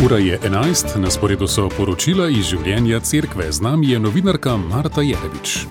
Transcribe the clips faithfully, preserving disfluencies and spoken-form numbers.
Ura je enajst, na sporedu so poročila iz življenja cerkve. Z nami je novinarka Marta Jerevič.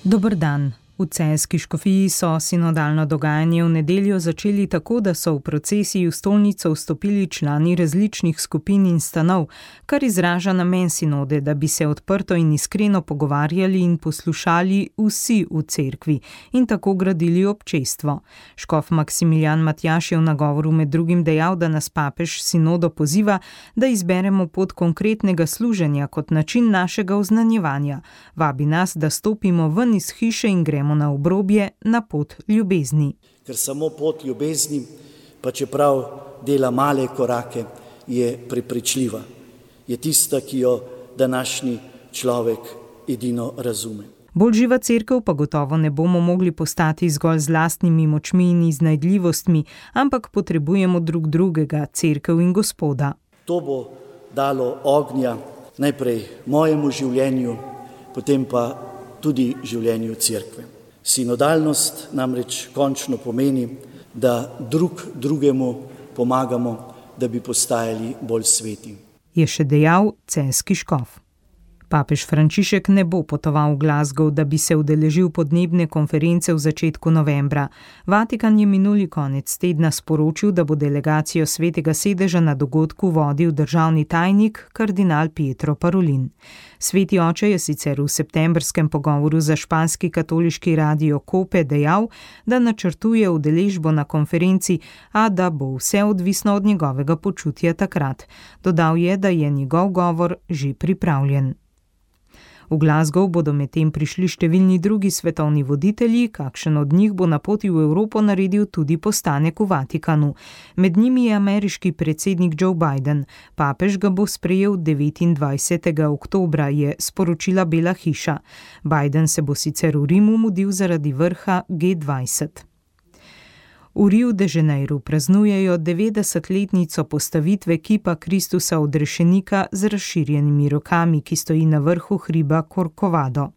Dober dan. V celjski škofiji so sinodalno dogajanje v nedeljo začeli tako, da so v procesiji v stolnico vstopili člani različnih skupin in stanov, kar izraža namen sinode, da bi se odprto in iskreno pogovarjali in poslušali vsi v cerkvi in tako gradili občestvo. Škof Maksimilijan Matjaž je v nagovoru med drugim dejal, da nas papež sinodo poziva, da izberemo pot konkretnega služenja kot način našega oznanjevanja. Vabi nas, da stopimo ven iz hiše in gremo na obrobje, na pot ljubezni. Ker samo pot ljubezni, pa čeprav dela male korake, je prepričljiva. Je tista, ki jo današnji človek edino razume. Bolj živa cerkev pa gotovo ne bomo mogli postati zgolj z lastnimi močmi in iznajdljivostmi, ampak potrebujemo drug drugega, cerkev in Gospoda. To bo dalo ognja najprej mojemu življenju, potem pa tudi življenju cerkve. Sinodalnost namreč končno pomeni, da drug drugemu pomagamo, da bi postajali bolj sveti. Je še dejal celjski škof. Papež Frančišek ne bo potoval v Glasgow, da bi se udeležil podnebne konference v začetku novembra. Vatikan je minuli konec tedna sporočil, da bo delegacijo Svetega sedeža na dogodku vodil državni tajnik kardinal Pietro Parolin. Sveti oče je sicer v septembrskem pogovoru za španski katoliški radio Cope dejal, da načrtuje udeležbo na konferenci, a da bo vse odvisno od njegovega počutja takrat. Dodal je, da je njegov govor že pripravljen. V Glasgow bodo medtem prišli številni drugi svetovni voditelji, kakšen od njih bo na poti v Evropo naredil tudi postanek v Vatikanu. Med njimi je ameriški predsednik Joe Biden. Papež ga bo sprejel devetindvajsetega oktobra, je sporočila Bela hiša. Biden se bo sicer v Rimu mudil zaradi vrha G dvajset. V Rio de Janeiru praznujejo devetdesetletnico postavitve kipa Kristusa odrešenika z razširjenimi rokami, ki stoji na vrhu hriba Corcovado.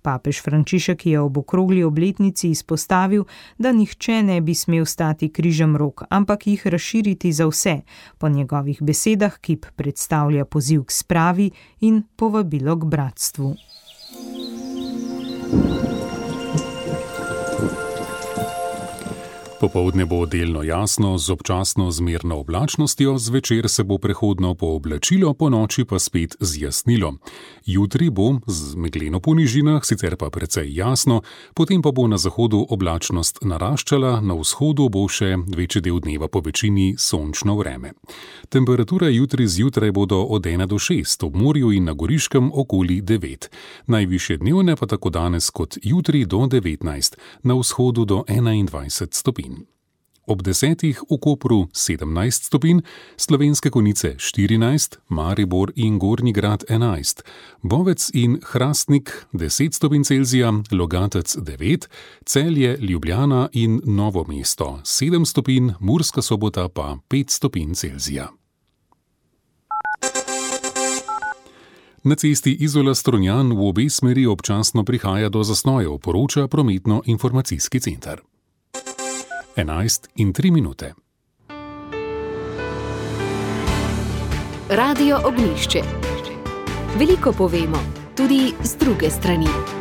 Papež Frančišek je ob okrogli obletnici izpostavil, da nihče ne bi smel stati križem rok, ampak jih razširiti za vse. Po njegovih besedah kip predstavlja poziv k spravi in povabilo k bratstvu. Popoldne bo delno jasno z občasno zmerno oblačnostjo, zvečer se bo prehodno pooblačilo, ponoči pa spet zjasnilo. Jutri bo z megleno po nižinah, sicer pa precej jasno, potem pa bo na zahodu oblačnost naraščala, na vzhodu bo še večji del dneva po večini sončno vreme. Temperature jutri zjutraj bodo od ena do šest, ob morju in na Goriškem okoli devet. Najvišje dnevne pa tako danes kot jutri do devetnajst, na vzhodu do enaindvajset stopinj. Ob desetih v Kopru sedemnajst stopinj, Slovenske Konjice štirinajst, Maribor in Gornji Grad enajst, Bovec in Hrastnik deset stopinj Celzija, Logatec devet, Celje, Ljubljana in Novo mesto sedem stopinj, Murska Sobota pa pet stopinj Celzija. Na cesti Izola-Strunjan v obe smeri občasno prihaja do zastojev, poroča prometno-informacijski center. enajst in tri minute. Radio Ognjišče. Veliko povemo, tudi z druge strani.